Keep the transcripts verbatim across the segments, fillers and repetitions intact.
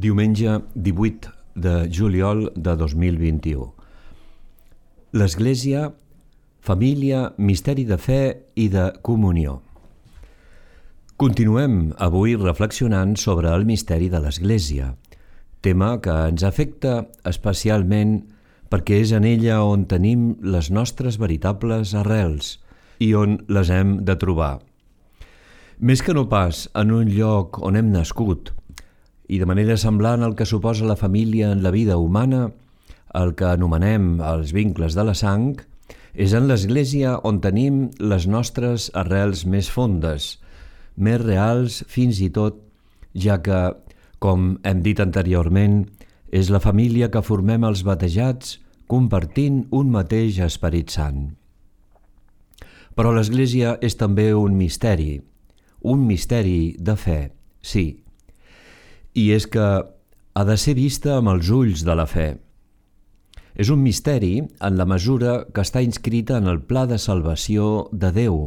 Diumenge divuit de juliol de dos mil vint-i-u. L'Església, família, misteri de fe i de comunió. Continuem avui reflexionant sobre el misteri de l'Església, tema que ens afecta especialment perquè és en ella on tenim les nostres veritables arrels i on les hem de trobar. Més que no pas en un lloc on hem nascut, i de manera semblant al que suposa la família en la vida humana, el que anomenem els vincles de la sang, és en l'Església on tenim les nostres arrels més fondes, més reals fins i tot, ja que, com hem dit anteriorment, és la família que formem els batejats compartint un mateix Esperit Sant. Però l'Església és també un misteri, un misteri de fe, sí, i és que ha de ser vista amb els ulls de la fe. És un misteri en la mesura que està inscrita en el pla de salvació de Déu.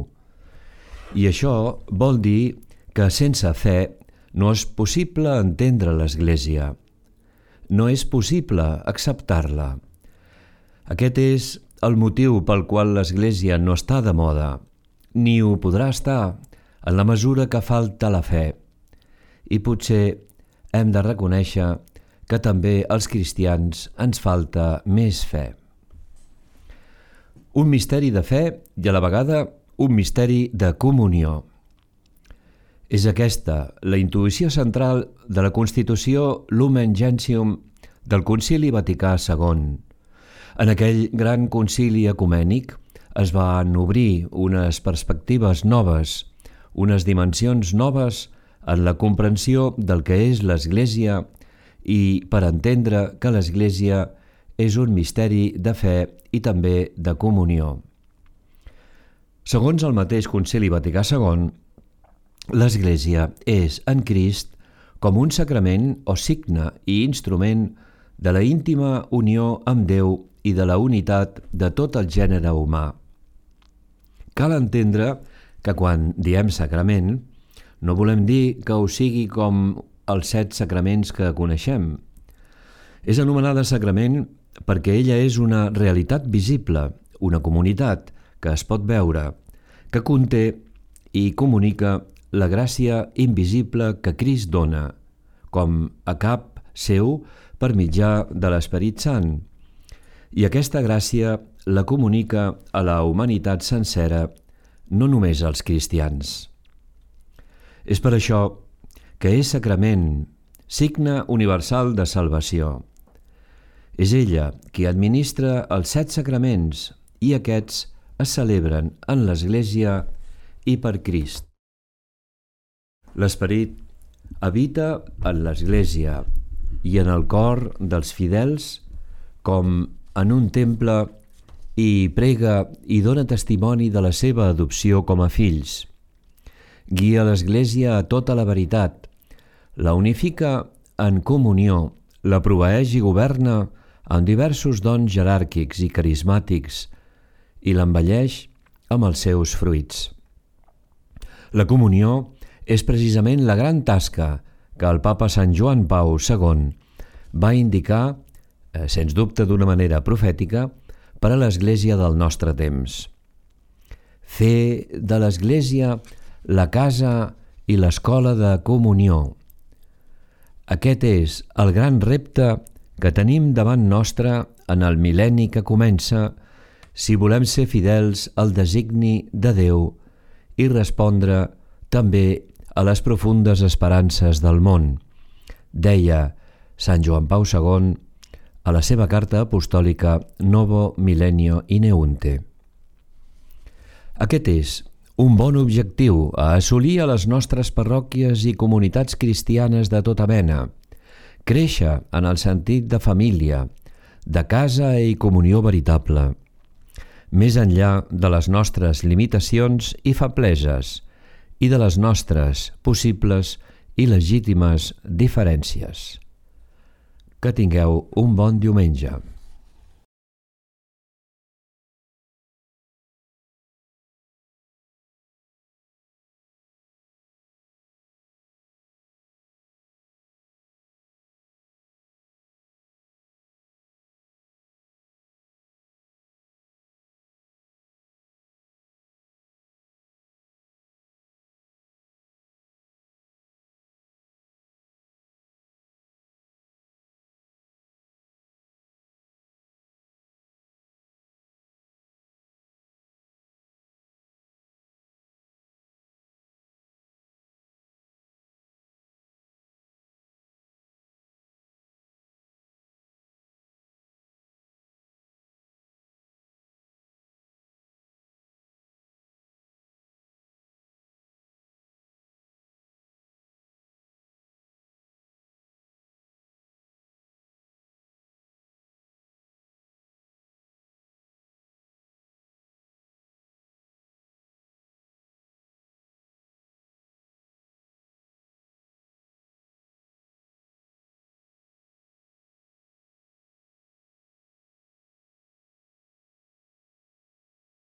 I això vol dir que sense fe no és possible entendre l'Església. No és possible acceptar-la. Aquest és el motiu pel qual l'Església no està de moda, ni ho podrà estar en la mesura que falta la fe. I potser hem de reconèixer que també als cristians ens falta més fe. Un misteri de fe i a la vegada un misteri de comunió. És aquesta la intuïció central de la Constitució Lumen Gentium del Concili Vaticà segon. En aquell gran concili ecumènic es van obrir unes perspectives noves, unes dimensions noves en la comprensió del que és l'Església i per entendre que l'Església és un misteri de fe i també de comunió. Segons el mateix Concili Vaticà segon, l'Església és en Crist com un sacrament o signe i instrument de la íntima unió amb Déu i de la unitat de tot el gènere humà. Cal entendre que quan diem sacrament, no volem dir que ho sigui com els set sacraments que coneixem. És anomenada sacrament perquè ella és una realitat visible, una comunitat que es pot veure, que conté i comunica la gràcia invisible que Crist dona, com a cap seu per mitjà de l'Esperit Sant. I aquesta gràcia la comunica a la humanitat sencera, no només als cristians. És per això que és sacrament, signe universal de salvació. És ella qui administra els set sacraments i aquests es celebren en l'Església i per Crist. L'Esperit habita en l'Església i en el cor dels fidels com en un temple i prega i dona testimoni de la seva adopció com a fills. Guia l'Església a tota la veritat, la unifica en comunió, la proveeix i governa amb diversos dons jeràrquics i carismàtics i l'embelleix amb els seus fruits. La comunió és precisament la gran tasca que el papa Sant Joan Pau segon va indicar, eh, sens dubte d'una manera profètica, per a l'Església del nostre temps. Fer de l'Església la casa i l'escola de comunió. Aquest és el gran repte que tenim davant nostre en el mil·lenni que comença si volem ser fidels al designi de Déu i respondre també a les profundes esperances del món, deia Sant Joan Pau segon a la seva carta apostòlica Novo Millennio Ineunte. Aquest és un bon objectiu a assolir a les nostres parròquies i comunitats cristianes de tota mena, créixer en el sentit de família, de casa i comunió veritable, més enllà de les nostres limitacions i febleses i de les nostres possibles i legítimes diferències. Que tingueu un bon diumenge.